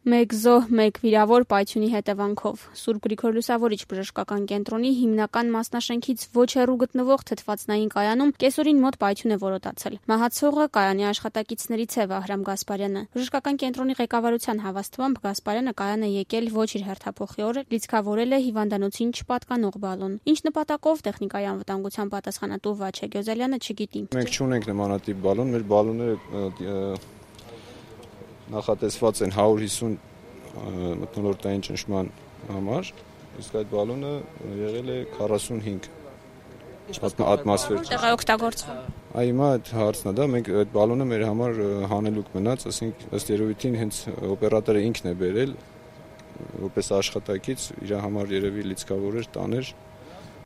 Մեկ զոհ, մեկ վիրավոր պայթյունի հետևանքով։ Սուրբ Գրիգոր Լուսավորիչ բժշկական կենտրոնի հիմնական մասնաշենքից ոչ հեռու գտնվող թթվածնային կայանում կեսօրին մոտ պայթյուն է որոտացել։ Մահացողը կայանի աշխատակիցներից է Վահրամ Գասպարյանը։ Բժշկական կենտրոնի ղեկավարության հավաստմամբ Գասպարյանը կայան է եկել ոչ իր հերթափոխի օրը, լիցքավորել է հիվանդանոցին չպատկանող բալոն։ Ինչ նպատակով տեխնիկայի անվտանգության պատասխանատու Վաչե Գյոզալյանը չգիտի։ Մենք չունենք նմանատիպ բալոն, մեր բալոնները նախատեսված են 150 մթնոլորտային ճնշման համար, իսկ այդ բալոնը եղել է 45 ատմոսֆեր։ Որտեղ է օգտագործվում։ Հիմա այդ հարցն է դա, մենք այդ բալոնը մեր համար հանելուկ մնաց, ասենք ըստ երևույթին հենց օպերատորը ինքն է բերել, որպես աշխատակից իր համար երևի լիցքավոր էր տաներ։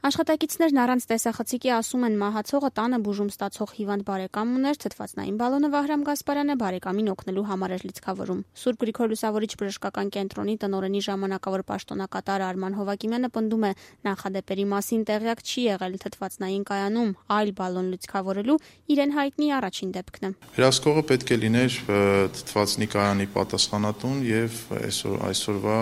Աշխատակիցներն առանց տեսախցիկի ասում են մահացողը տանը բուժում ստացող հիվանդ բարեկամ ուներ, թթվածնային բալոնը Վահրամ Գասպարյանը բարեկամին օգնելու համար էր լիցքավորում։ Սուրբ Գրիգոր Լուսավորիչ բժշկական կենտրոնի տնօրենի ժամանակավոր պաշտոնակատար Արման Հովակիմյանը պնդում է, նախադեպերի մասին տեղյակ չի եղել թթվածնային կայանում, այլ բալոն լիցքավորելու իրեն հայտնի առաջին դեպքն է։ Հրասկողը պետք է լիներ թթվածնի կայանի պատասխանատուն եւ այսօրվա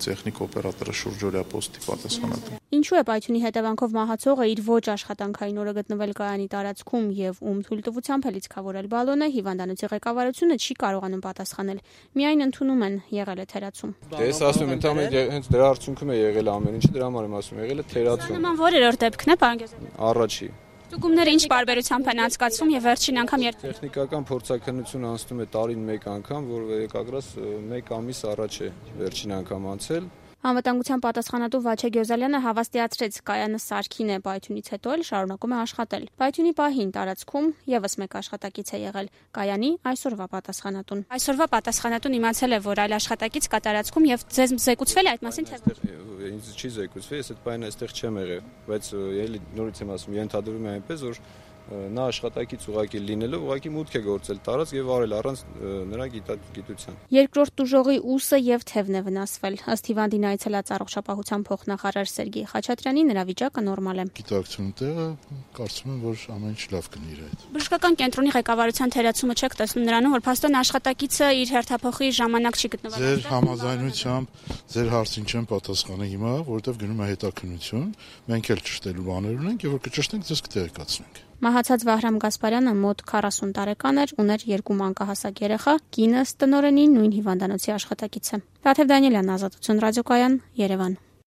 տեխնիկ օպերատորը շուրջօրյա պոստի պատասխանատուն։ Ինչու է պայթյունի հետևանքով մահացողը իր ոչ աշխատանքային օրը գտնվել կայանի տարածքում եւ ում թույլտվությամբ է լիցքավորել բալոնը, հիվանդանոցի ղեկավարությունը չի կարողանում պատասխանել։ Միայն ընդունում են եղել է թերացում։ Ես ասում եմ, ընդհանրապես հենց դրա արդյունքում է եղել ամեն ինչը, դրա համար եմ ասում, եղել է թերացում։ Նման որերորդ դեպքն է, պարոն Գյոզալյան։ Առաջի։ Ստուգումները ինչ բարբերությամբ են անցկացվում եւ վերջին անգամ երբ տեխնիկական փորձաքննությունը անցնում է տարին մեկ անգամ, որ եկագրած 1 ամիս առաջ է վերջին անգամ անցել։ Անվտանգության պատասխանատու Վաչե Գյոզալյանը հավաստիացրեց, կայանը սարքին է, պայթյունից հետո էլ շարունակում է աշխատել։ Պայթյունի պահին տարածքում եւս մեկ աշխատակից է եղել, կայանի այսօրվա պատասխանատուն։ Այսօրվա պատասխանատուն իմացել է, որ այլ աշխատակից կա տարածքում եւ ձեզ զեկուցվել է այդ մասին թե ինձ չի զեկուցվել, ես այդ պայանը այստեղ չեմ եղել, բայց ելի նորից եմ ասում, ենթադրում եմ այնպես, որ նա աշխատակից ուղակի լինելով ուղակի մուտք է գործել տարածք եւ արել առանց նրա գիտության։ Երկրորդ տուժողի ուսը եւ թևն է վնասվել։ Ըստ հիվանդին այցելած առողջապահության փոխնախարար Սերգեյ Խաչատրյանի նրա վիճակը նորմալ է։ Գիտակցություն տեղը կարծում եմ, որ ամեն ինչ լավ կնի իր հետ։ Բժշկական կենտրոնի ղեկավարության թերացումը չեք տեսնում նրանում, որ փաստորեն աշխատակիցը իր հերթափոխի ժամանակ չի գտնվել։ Ձեր համաձայնությամբ ձեր հարցին չեմ պատասխանել հիմա, որովհետեւ գնում է հետաքննություն, մենք էլ ճշտելու բաներ ունենք եւ որ կճշտենք, ձեզ կտեղեկացնենք։ Մահացած Վահրամ Գասպարյանը մոտ 40 տարեկան էր, ուներ 2 մանկահասակ երեխա, կինը տնօրենի նույն հիվանդանոցի աշխատակից է։ Տաթև Դանիելյան, Ազատություն ռադիոկայան, Երևան։